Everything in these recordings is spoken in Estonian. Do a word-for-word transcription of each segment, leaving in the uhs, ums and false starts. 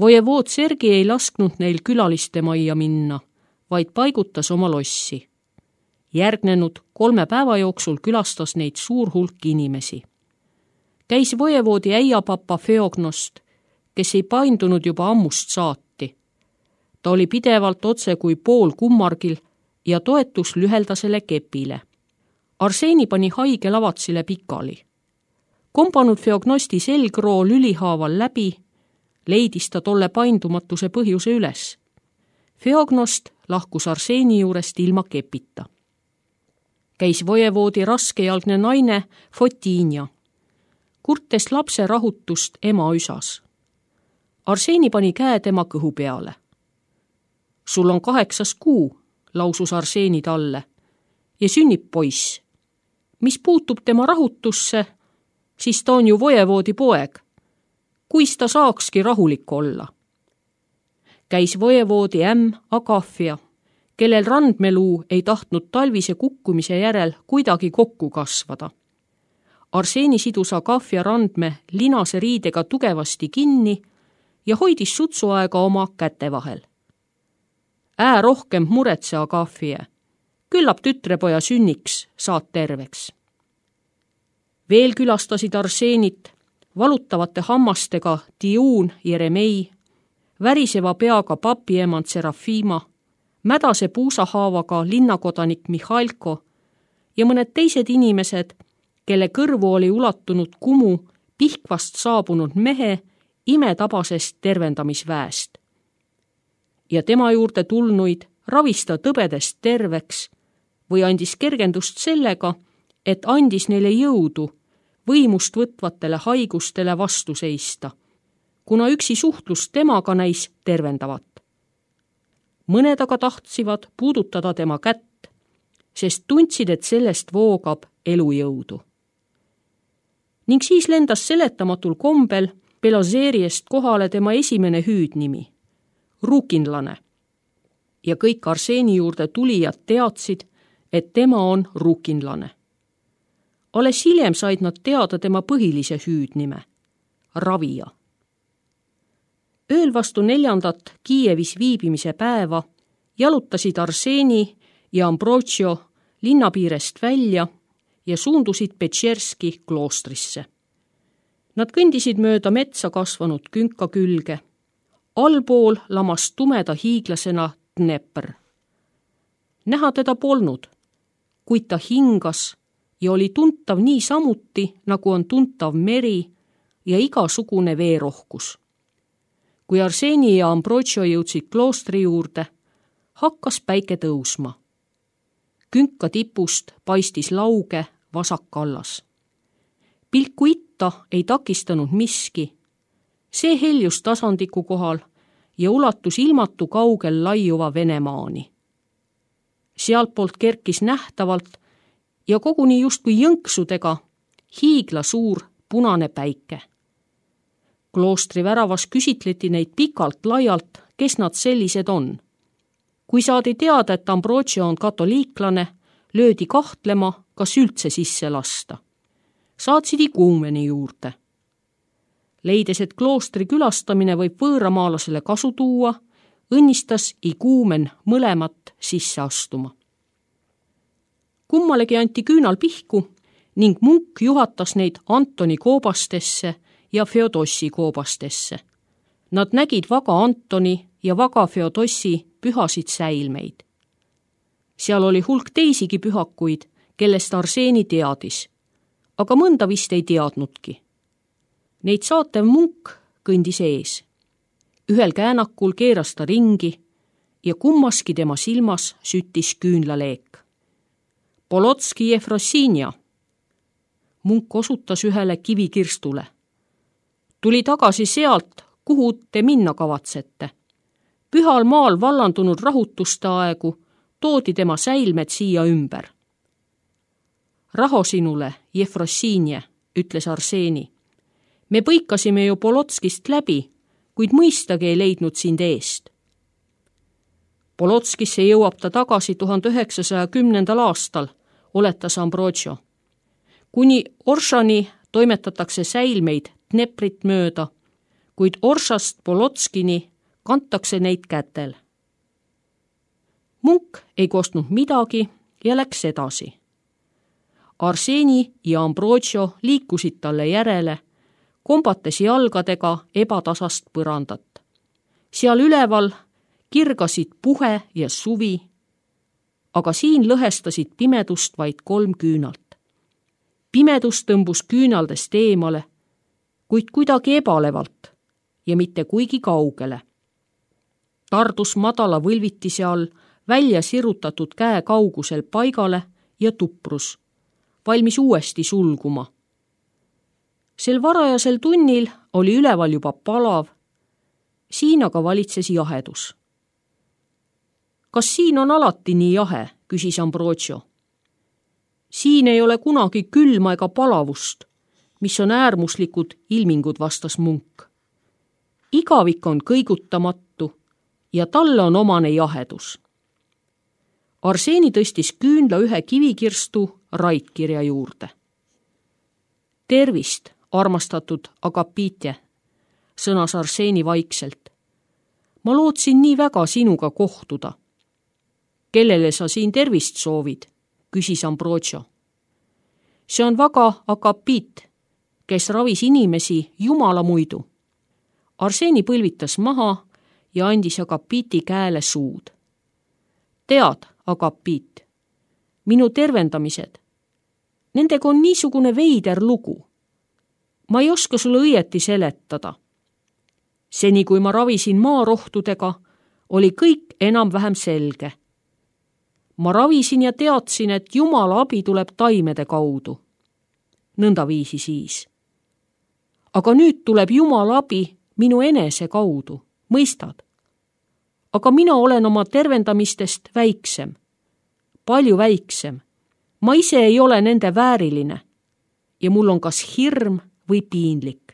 Vojevood Sergi ei lasknud neil külaliste majja minna, vaid paigutas oma lossi. Järgnenud kolme päeva jooksul külastas neid suur hulk inimesi. Käis vojevoodi äiapapa Feognost, kes ei paindunud juba ammust saati. Ta oli pidevalt otse kui pool kummargil ja toetus lüheldasele kepile. Arseni pani haige lavatsile pikali. Kompanud Feognosti selgroo lülihaaval läbi, leidis ta tolle paindumatuse põhjuse üles. Feognost lahkus Arseni juurest ilma kepita. Käis vojevoodi raskejalgne naine Fotiinja. Kurtes lapse rahutust ema üsas. Arseni pani käe tema kõhu peale. Sul on kaheksas kuu, lausus Arseni talle, ja sünnib poiss. Mis puutub tema rahutusse, siis ta on ju vojevoodi poeg. Kuis ta saakski rahulik olla? Käis vojevoodi ämm Agafia, kellel randmeluu ei tahtnud talvise kukkumise järel kuidagi kokku kasvada. Arseni sidus Agafia randme linase riidega tugevasti kinni ja hoidis sutsuaega oma käte vahel. Ää rohkem muretse, Agafia. Küllap tütrepoja sünniks saad terveks. Veel külastasid Arsenit valutavate hammastega Tiun Jeremei, väriseva peaga papiemand Serafima, mädase puusahaavaga linnakodanik Mihhailko ja mõned teised inimesed, kelle kõrvu oli ulatunud kumu Pihkvast saabunud mehe imetabasest tervendamisväest. Ja tema juurde tulnuid ravis ta tõbedest terveks või andis kergendust sellega, et andis neile jõudu võimust võtvatele haigustele vastu seista, kuna üksi suhtlus temaga näis tervendavat. Mõned aga tahtsvad puudutada tema kätt, sest tundsid, et sellest voogab elujõudu. Ning siis lendas seletamatul kombel Belozeeriest kohale tema esimene hüüdnimi, rukinlane. Ja kõik Arseni juurde tulijad teadsid, et tema on rukinlane. Alles hiljem said nad teada tema põhilise hüüdnime, ravija. Ööl vastu neljandat Kiievis viibimise päeva jalutasid Arseni ja Ambrosio linnapiirest välja ja suundusid Petšerski kloostrisse. Nad kõndisid mööda metsa kasvanud künka külge. Allpool lamas tumeda hiiglasena Dnepr. Näha teda polnud, kuid ta hingas ja oli tuntav nii samuti, nagu on tuntav meri ja igasugune veerohkus. Kui Arseni ja Ambrosio jõudsid kloostri juurde, hakkas päike tõusma. Künka tipust paistis lauge vasak kallas. Pilku itta ei takistanud miski. See heljus tasandiku kohal ja ulatus ilmatu kaugel laiuva Venemaani. Sealtpoolt kerkis nähtavalt ja koguni justkui jõnksudega hiigla suur punane päike. Kloostri väravas küsitleti neid pikalt laialt, kes nad sellised on. Kui saadi teada, et Ambrosio on katoliiklane, löödi kahtlema, kas üldse sisse lasta. Saatsid iguumeni juurde. Leides, et kloostri külastamine võib võõramaalasele kasu tuua, õnnistas iguumen mõlemat sisse astuma. Kummalegi anti küünal pihku ning munk juhatas neid Antoni koobastesse ja Feodossi koobastesse. Nad nägid vaga Antoni ja vaga Feodossi pühasid säilmeid. Seal oli hulk teisigi pühakuid, kellest Arseni teadis, aga mõnda vist ei teadnudki. Neid saatev munk kõndis ees. Ühel käänakul keeras ta ringi ja kummaski tema silmas süttis küünlaleek. Polotski Jefrosinja. Munk osutas ühele kivikirstule. Tuli tagasi sealt, kuhu te minna kavatsete. Pühal maal vallandunud rahutuste aegu toodi tema säilmed siia ümber. Raho sinule, Jefrosinje, ütles Arseni. Me põikasime ju Polotskist läbi, kuid mõistagi ei leidnud sind eest. Polotskisse jõuab ta tagasi tuhande üheksasaja kümnendal aastal, oletas Ambrosio. Kuni Oršani toimetatakse säilmeid Dneprit mööda, kuid Orsast Polotskini kantakse neid kätel. Munk ei kostnud midagi ja läks edasi. Arseni ja Ambrosio liikusid talle järele, kombates jalgadega ebatasast põrandat. Seal üleval kirgasid puhe ja suvi, aga siin lõhestasid pimedust vaid kolm küünalt. Pimedus tõmbus küünaldest eemale, kuid kuidagi ebalevalt ja mitte kuigi kaugele. Tardus madala võlvitise all välja sirutatud käe kaugusel paigale ja tuprus, valmis uuesti sulguma. Sel varajasel tunnil oli üleval juba palav, siin aga valitses jahedus. Kas siin on alati nii jahe, küsis Ambrosio. Siin ei ole kunagi külma ega palavust, mis on äärmuslikud ilmingud, vastas Munk. Igavik on kõigutamatu ja talle on omane jahedus. Arseni tõstis küünla ühe kivikirstu raitkirja juurde. Tervist, armastatud Agapitje, sõnas Arseni vaikselt. Ma lootsin nii väga sinuga kohtuda. Kellele sa siin tervist soovid, küsis Ambrosio. See on vaga Agapit, kes ravis inimesi jumala muidu. Arseni põlvitas maha ja andis Agapiti käele suud. Tead, Agapit, minu tervendamised, nendega on niisugune veider lugu. Ma ei oska sulle õieti seletada. Seni, kui ma ravisin maarohtudega, oli kõik enam-vähem selge. Ma ravisin ja teadsin, et Jumala abi tuleb taimede kaudu. Nõnda viisi siis. Aga nüüd tuleb Jumala abi minu enese kaudu, mõistad? Aga mina olen oma tervendamistest väiksem, palju väiksem. Ma ise ei ole nende vääriline ja mul on kas hirm või piinlik.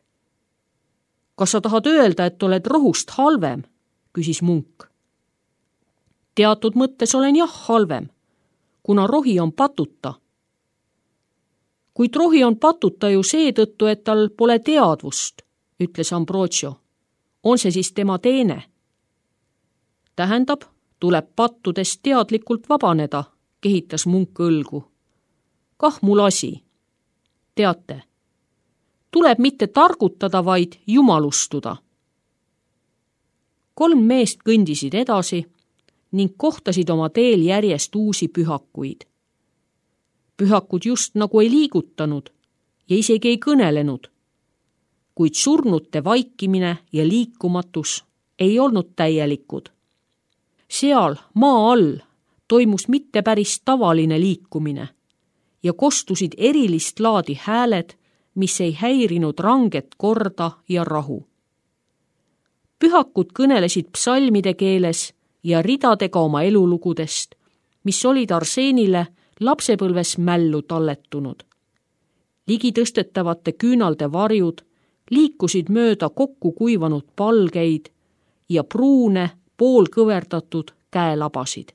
Kas sa tahad öelda, et oled rohust halvem, küsis Munk. Teatud mõttes olen jah halvem, kuna rohi on patuta. Kuid rohi on patuta ju seetõttu, et tal pole teadvust, ütles Ambrosio. On see siis tema teene? Tähendab, tuleb pattudest teadlikult vabaneda, kehitas Munk õlgu. Kah mul asi. Teate, tuleb mitte targutada, vaid jumalustuda. Kolm meest kõndisid edasi ning kohtasid oma teel järjest uusi pühakuid. Pühakud just nagu ei liigutanud ja isegi ei kõnelenud, kuid surnute vaikimine ja liikumatus ei olnud täielikud. Seal maa all toimus mitte päris tavaline liikumine ja kostusid erilist laadi hääled, mis ei häirinud ranget korda ja rahu. Pühakud kõnelesid psalmide keeles ja ridadega oma elulugudest, mis olid Arsenile lapsepõlves mällu talletunud. Ligi tõstetavate küünalde varjud liikusid mööda kokku kuivanud palgeid ja pruune poolkõverdatud käelabasid.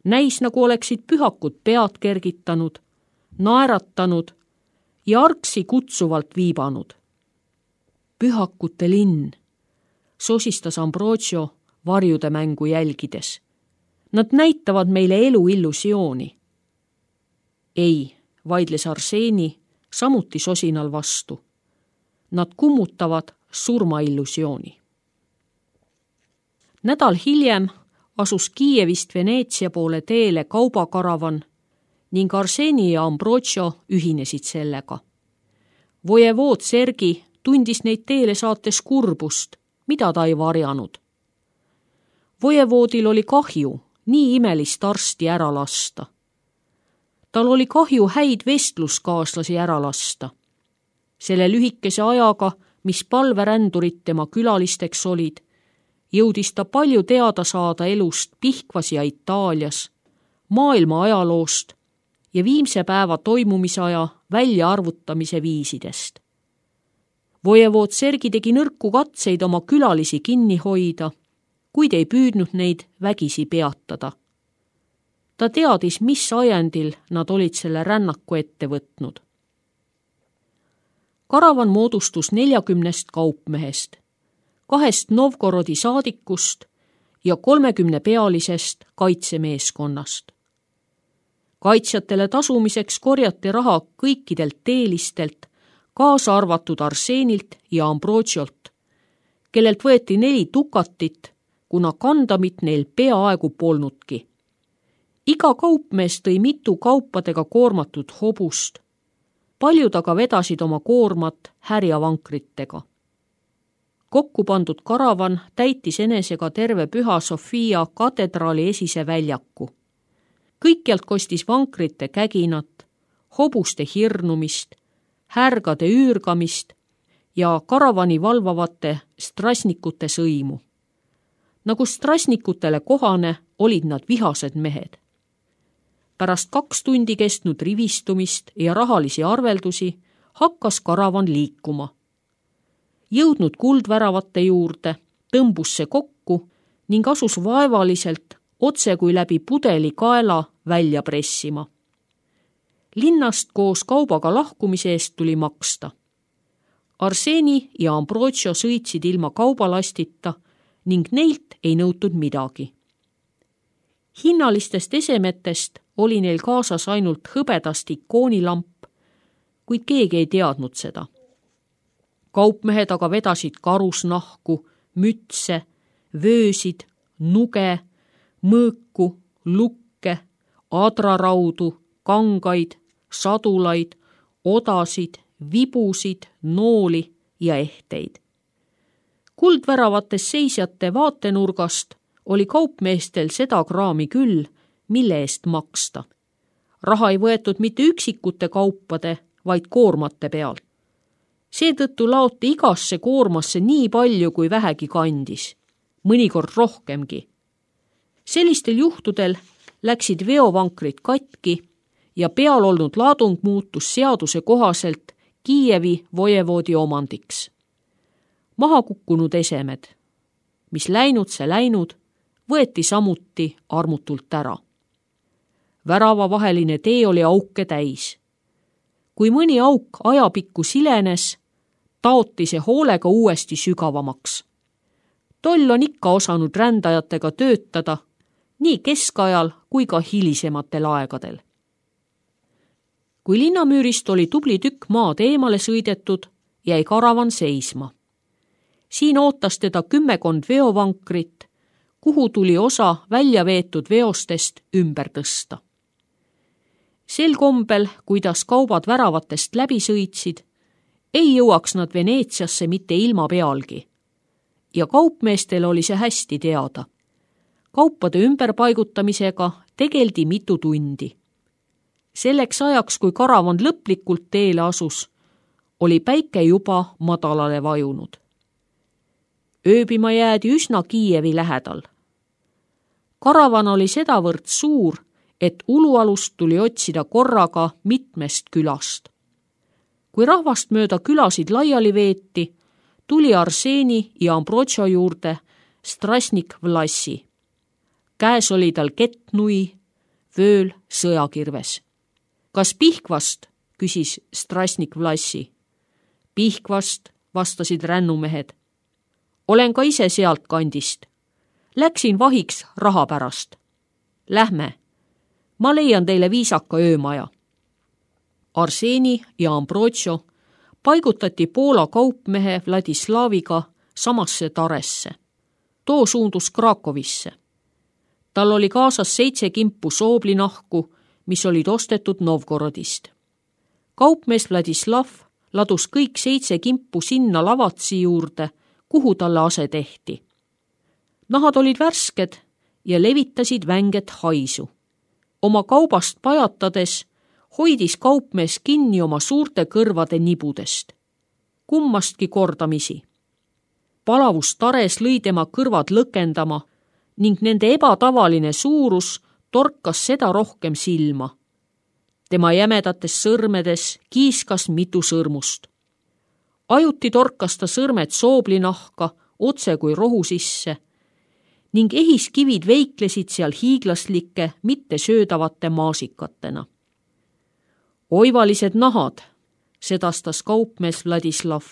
Näis, nagu oleksid pühakud pead kergitanud, naeratanud ja argsi kutsuvalt viibanud. Pühakute linn, sosistas Ambrosio varjude mängu jälgides. Nad näitavad meile elu illusiooni. Ei, vaidles Arseni samuti sosinal vastu. Nad kummutavad surmaillusiooni. Nädal hiljem asus Kiievist Veneetsia poole teele kaubakaravan ning Arseni ja Ambrosio ühinesid sellega. Vojevood Sergi tundis neid teele saates kurbust, mida ta ei varjanud. Vojevoodil oli kahju nii imelist arsti ära lasta. Tal oli kahju häid vestluskaaslasi ära lasta. Selle lühikese ajaga, mis palverändurid tema külalisteks olid, jõudis ta palju teada saada elust Pihkvas ja Itaalias, maailma ajaloost ja viimse päeva toimumisaja väljaarvutamise viisidest. Vojevood Sergi tegi nõrku katseid oma külalisi kinni hoida, kuid ei püüdnud neid vägisi peatada. Ta teadis, mis ajendil nad olid selle rännaku ette võtnud. Karavan moodustus neljakümnest kaupmehest, kahest Novgorodi saadikust ja kolmekümne pealisest kaitsemeeskonnast. Kaitsjatele tasumiseks korjati raha kõikidelt teelistelt, kaasa arvatud Arseenilt ja Ambrotsiolt, kellelt võeti neli dukatit, kuna kandamit neil peaaegu polnudki. Iga kaupmees tõi mitu kaupadega koormatud hobust. Paljud aga vedasid oma koormat härjavankritega. Kokku pandud karavan täitis enesega terve Püha Sofia katedraali esise väljaku. Kõikjalt kostis vankrite käginat, hobuste hirnumist, härgade üürgamist ja karavani valvavate strasnikute sõimu. Nagu strasnikutele kohane olid nad vihased mehed. Pärast kaks tundi kestnud rivistumist ja rahalisi arveldusi hakkas karavan liikuma. Jõudnud kuldväravate juurde, tõmbus see kokku ning asus vaevaliselt otse kui läbi pudeli kaela välja pressima. Linnast koos kaubaga lahkumise eest tuli maksta. Arseeni ja Ambrotio sõitsid ilma kaubalastita ning neilt ei nõutud midagi. Hinnalistest esemetest oli neil kaasas ainult hõbedast ikoonilamp, kuid keegi ei teadnud seda. Kaupmehed aga vedasid karusnahku, mütse, vöösid, nuge, mõõku, lukke, adraraudu, kangaid, sadulaid, odasid, vibusid, nooli ja ehteid. Kuldväravates seisjate vaatenurgast oli kaupmeestel seda kraami küll, mille eest maksta. Raha ei võetud mitte üksikute kaupade, vaid koormate pealt. Seetõttu laoti igasse koormasse nii palju, kui vähegi kandis, mõnikord rohkemgi. Sellistel juhtudel läksid veovankrid katki ja peal olnud laadung muutus seaduse kohaselt Kiievi vojevoodi omandiks. Maha kukkunud esemed, mis läinud see läinud, võeti samuti armutult ära. Värava vaheline tee oli auke täis. Kui mõni auk ajapikku silenes, taoti see hoolega uuesti sügavamaks. Toll on ikka osanud rändajatega töötada, nii keskajal kui ka hilisematel aegadel. Kui linnamüürist oli tubli tükk maad eemale sõidetud, jäi karavan seisma. Siin ootas teda kümmekond veovankrit, kuhu tuli osa välja veetud veostest ümber tõsta. Sel kombel, kuidas kaubad väravatest läbi sõitsid, ei jõuaks nad Veneetsiasse mitte ilma pealgi. Ja kaupmeestel oli see hästi teada. Kaupade ümberpaigutamisega tegeldi mitu tundi. Selleks ajaks, kui karavan lõplikult teele asus, oli päike juba madalale vajunud. Ööbima jäädi üsna Kiievi lähedal. Karavan oli sedavõrd suur, et ulualust tuli otsida korraga mitmest külast. Kui rahvast mööda külasid laiali veeti, tuli Arseeni ja Ambrotio juurde Strasnik Vlassi. Käes oli tal kettnui, vööl sõjakirves. Kas Pihkvast, küsis Strasnik Vlassi. Pihkvast, vastasid rännumehed. Olen ka ise sealt kandist. Läksin vahiks raha pärast. Lähme. Ma leian teile viisaka öömaja. Arseeni ja Ambrotio paigutati Poola kaupmehe Vladislaviga samasse taresse. Too suundus Krakovisse. Tal oli kaasas seitse kimpu sooblinahku, mis olid ostetud Novgorodist. Kaupmees Vladislav ladus kõik seitse kimpu sinna lavatsi juurde, kuhu talle ase tehti. Nahad olid värsked ja levitasid vänget haisu. Oma kaubast pajatades hoidis kaupmees kinni oma suurte kõrvade nibudest. Kummastki kordamisi. Palavus tares lõi tema kõrvad lõkendama ning nende ebatavaline suurus torkas seda rohkem silma. Tema jämedates sõrmedes kiiskas mitu sõrmust. Ajuti torkas ta sõrmed sooblinahka otse kui rohu sisse ning ehiskivid veiklesid seal hiiglaslike, mitte söödavate maasikatena. Oivalised nahad, sedastas kaupmees Vladislav.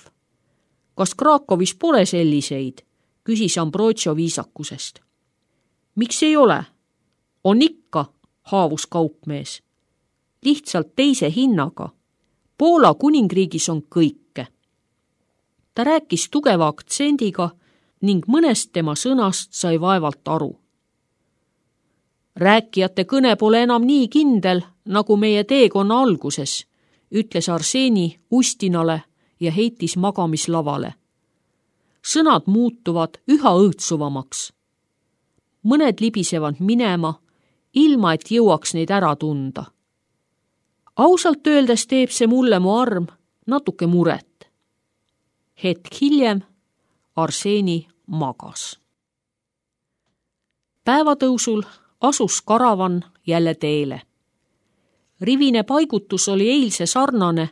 Kas Krakovis pole selliseid, küsis Ambrogio viisakusest. Miks ei ole? On ikka, haavus kaupmees. Lihtsalt teise hinnaga. Poola kuningriigis on kõike. Ta rääkis tugeva aktsendiga ning mõnest tema sõnast sai vaevalt aru. Rääkijate kõne pole enam nii kindel, nagu meie teekonna alguses, ütles Arseni Ustinale ja heitis magamislavale. Sõnad muutuvad üha õõtsuvamaks. Mõned libisevad minema, ilma et jõuaks neid ära tunda. Ausalt öeldes teeb see mulle mu arm natuke muret. Hetk hiljem Arseni magas. Päevatõusul asus karavan jälle teele. Rivine paigutus oli eilse sarnane,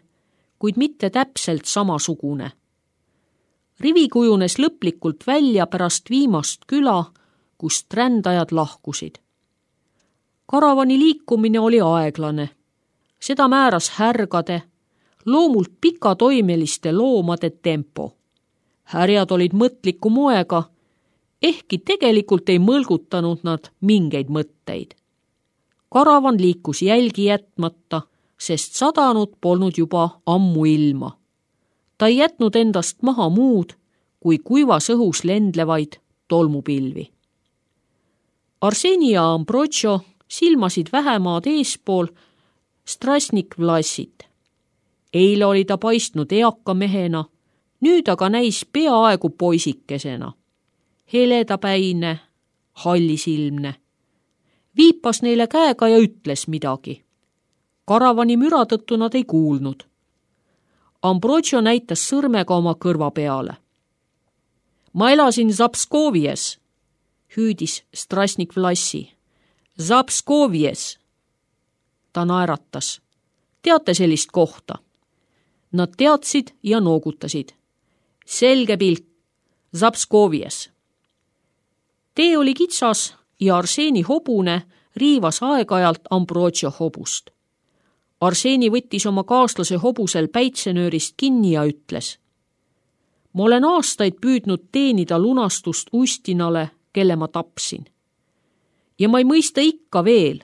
kuid mitte täpselt samasugune. Rivi kujunes lõplikult välja pärast viimast küla, kust rändajad lahkusid. Karavani liikumine oli aeglane. Seda määras härgade, loomult pikatoimeliste loomade tempo. Härjad olid mõtliku moega, ehkki tegelikult ei mõlgutanud nad mingeid mõtteid. Karavan liikus jälgi jätmata, sest sadanud polnud juba ammu ilma. Ta ei jätnud endast maha muud, kui kuivas õhus lendlevaid tolmupilvi. Arseni ja Ambrogio silmasid vähemaad eespool Strasnik Vlassit. Eile oli ta paistnud eaka mehena, nüüd aga näis peaaegu poisikesena. Heledapäine, hallisilmne. Viipas neile käega ja ütles midagi. Karavani müra tõttu nad ei kuulnud. Ambrogio näitas sõrmega oma kõrva peale. Ma elasin Zapskovies, hüüdis Strasnik Vlassi. Zapskovies. Ta naeratas. Teate sellist kohta? Nad teadsid ja noogutasid. Selge pilk. Zapskovies. Tee oli kitsas ja Arseni hobune riivas aeg-ajalt Ambrogio hobust. Arseni võttis oma kaaslase hobusel päitsenöörist kinni ja ütles. Ma olen aastaid püüdnud teenida lunastust Ustinale, kelle ma tapsin. Ja ma ei mõista ikka veel,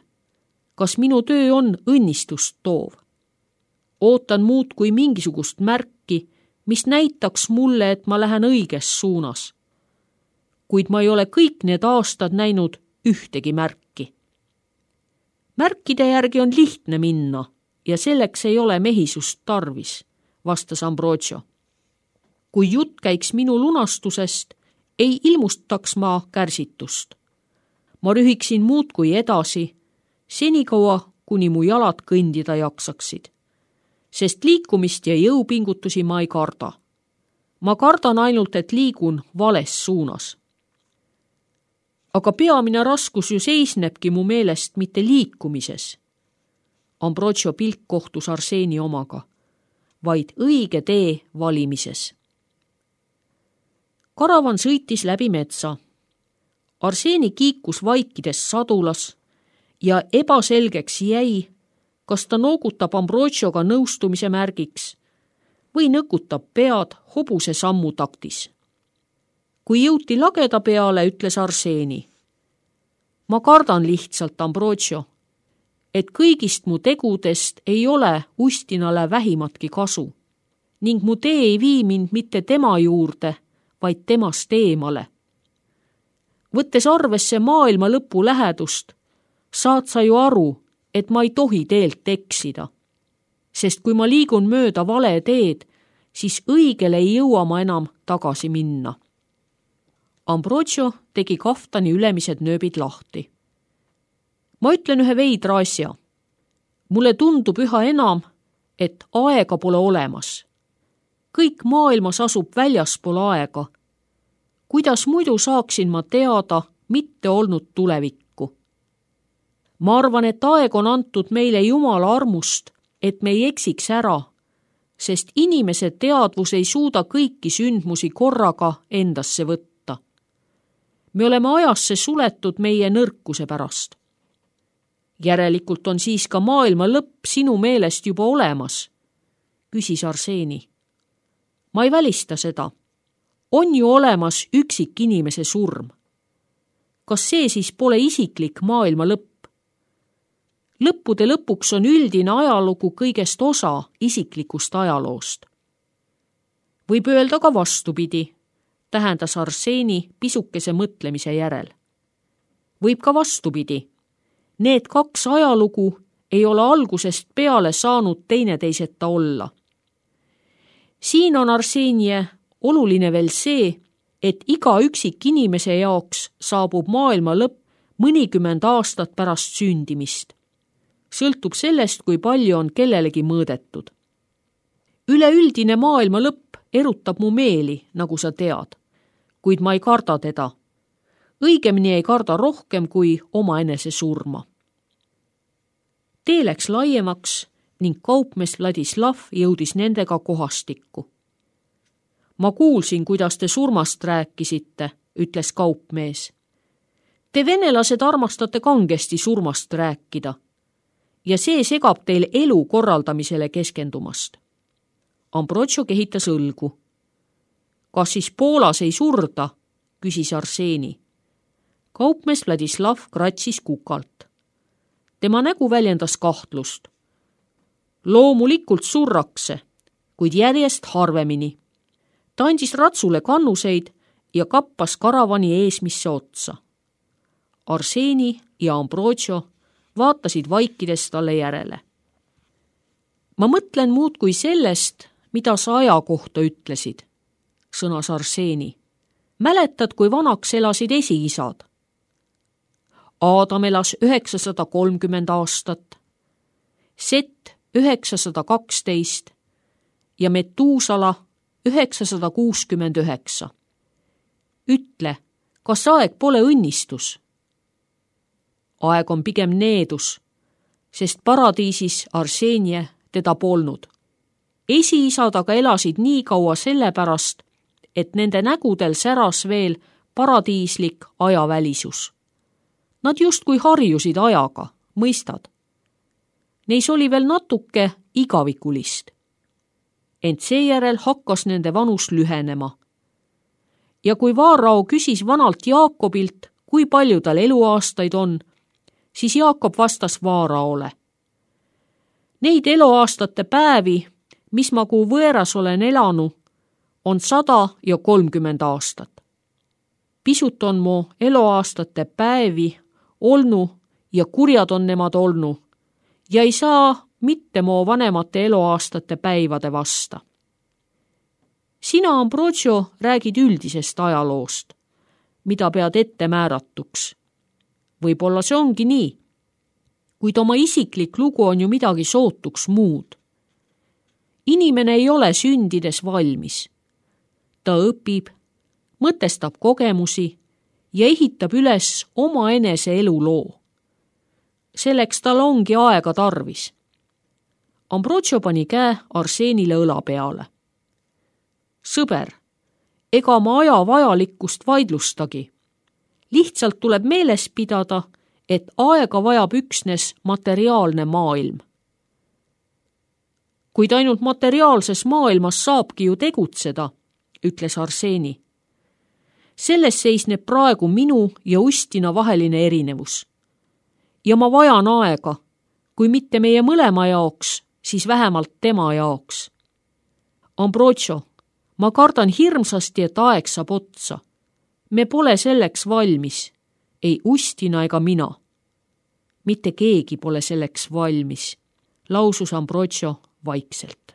kas minu töö on õnnistust toov. Ootan muud kui mingisugust märki, mis näitaks mulle, et ma lähen õiges suunas. Kuid ma ei ole kõik need aastad näinud ühtegi märki. Märkide järgi on lihtne minna ja selleks ei ole mehisust tarvis, vastas Ambrogio. Kui jutt käiks minu lunastusest, ei ilmustaks ma kärsitust. Ma rühiksin muud kui edasi, senikaua, kuni mu jalad kõndida jaksaksid. Sest liikumist ja jõupingutusi ma ei karda. Ma kardan ainult, et liigun vales suunas. Aga peamine raskus ju seisnebki mu meelest mitte liikumises. Ambrogio pilk kohtus Arseni omaga, vaid õige tee valimises. Karavan sõitis läbi metsa. Arseni kiikus vaikides sadulas ja ebaselgeks jäi, kas ta noogutab Ambrogioga nõustumise märgiks või nõkutab pead hobuse sammu taktis. Kui jõuti lageda peale, ütles Arseni. Ma kardan lihtsalt, Ambrogio, et kõigist mu tegudest ei ole Ustinale vähimatki kasu ning mu tee ei vii mind mitte tema juurde, vaid temast eemale. Võttes arvesse maailma lõpu lähedust, saad sa ju aru, et ma ei tohi teelt eksida. Sest kui ma liigun mööda vale teed, siis õigele ei jõua ma enam tagasi minna. Ambrogio tegi kaftani ülemised nööbid lahti. Ma ütlen ühe veidra asja. Mulle tundub üha enam, et aega pole olemas. Kõik maailmas asub väljaspool aega. Kuidas muidu saaksin ma teada mitte olnud tulevikku? Ma arvan, et aeg on antud meile Jumala armust, et me ei eksiks ära, sest inimese teadvus ei suuda kõiki sündmusi korraga endasse võtta. Me oleme ajasse suletud meie nõrkuse pärast. Järelikult on siis ka maailma lõpp sinu meelest juba olemas, küsis Arseni. Ma ei välista seda. on ju olemas üksik inimese surm. Kas see siis pole isiklik maailma lõpp? Lõppude lõpuks on üldine ajalugu kõigest osa isiklikust ajaloost. Võib öelda ka vastupidi, tähendas Arseni pisukese mõtlemise järel. Võib ka vastupidi. Need kaks ajalugu ei ole algusest peale saanud teineteiseta olla. Siin on Arsenie oluline veel see, et iga üksik inimese jaoks saabub maailma lõpp mõnikümmend aastat pärast sündimist. Sõltub sellest, kui palju on kellelegi mõõdetud. Üleüldine maailma lõpp erutab mu meeli, nagu sa tead, kuid ma ei karda teda. Õigemini ei karda rohkem kui omaenese surma. Tee läks laiemaks ning kaupmees Vladislav jõudis nendega kohastikku. Ma kuulsin, kuidas te surmast rääkisite, ütles kaupmees. Te venelased armastate kangesti surmast rääkida ja see segab teil elu korraldamisele keskendumast. Ambrotšo kehitas õlgu. Kas siis Poolas ei surda, küsis Arseni. Kaupmees Vladislav kratsis kukalt. Tema nägu väljendas kahtlust. Loomulikult surrakse, kuid järjest harvemini. Ta andis ratsule kannuseid ja kappas karavani eesmisse otsa. Arseni ja Ambrotšo vaatasid vaikides talle järele. Ma mõtlen muud kui sellest, mida sa aja kohta ütlesid, sõnas Arseni. Mäletad, kui vanaks elasid esiisad? Aadam elas üheksasada kolmkümmend aastat, Set üheksasada kaksteist ja Metuusala üheksasada kuuskümmend üheksa. Ütle, kas aeg pole õnnistus? Aeg on pigem needus, sest paradiisis Arsenie teda polnud. Esiisad aga elasid nii kaua sellepärast, et nende nägudel säras veel paradiislik ajavälisus. Nad justkui harjusid ajaga, mõistad. Neis oli veel natuke igavikulist. Ent seejärel hakkas nende vanus lühenema. Ja kui Vaarao küsis vanalt Jaakobilt, kui palju tal eluaastaid on, siis Jaakob vastas Vaaraole. Neid eluaastate päevi, mis ma kuu võeras olen elanu, on sada ja kolmkümmend aastat. Pisut on mu eluaastate päevi olnu ja kurjad on nemad olnu ja ei saa mitte mu vanemate eluaastate päivade vasta. Sina, Ambrotšo, räägid üldisest ajaloost, mida pead ette määratuks. Võib-olla see ongi nii, kuid oma isiklik lugu on ju midagi sootuks muud. Inimene ei ole sündides valmis. Ta õpib, mõtestab kogemusi ja ehitab üles oma enese eluloo. Selleks tal ongi aega tarvis. Ambrotšo pani käe Arsenile õla peale. Sõber, ega ma aja vajalikkust vaidlustagi. Lihtsalt tuleb meeles pidada, et aega vajab üksnes materiaalne maailm. Kuid ainult materiaalses maailmas saabki ju tegutseda, ütles Arseni. Selles seisneb praegu minu ja Ustina vaheline erinevus. Ja ma vajan aega, kui mitte meie mõlema jaoks, siis vähemalt tema jaoks. Ambrotšo, ma kardan hirmsasti, et aeg saab otsa. Me pole selleks valmis, ei Ustina ega mina. Mitte keegi pole selleks valmis, lausus Ambrotšo vaikselt.